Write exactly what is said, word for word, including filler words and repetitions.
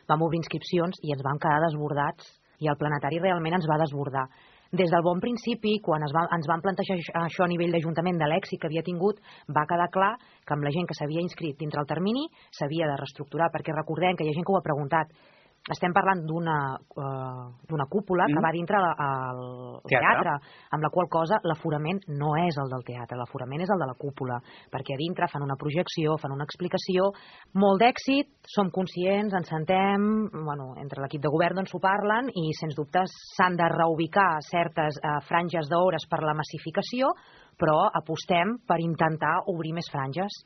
vam obrir inscripcions i ens vam quedar desbordats i el planetari realment ens va desbordar. Des del bon principi, quan es va, ens van plantejar això a nivell d'Ajuntament, de l'èxit que havia tingut, va quedar clar que amb la gent que s'havia inscrit dintre el termini s'havia de reestructurar, perquè recordem que hi ha gent que ho ha preguntat. Estem parlant d'una uh, d'una cúpula mm. que va dintre el teatre. teatre, amb la qual cosa l'aforament no és el del teatre, l'aforament és el de la cúpula, perquè a dintre fan una projecció, fan una explicació, molt d'èxit, som conscients, ens sentem, bueno, entre l'equip de govern doncs s'ho parlen i sens dubte s'han de reubicar certes uh, franges d'hores per la massificació, però apostem per intentar obrir més franges.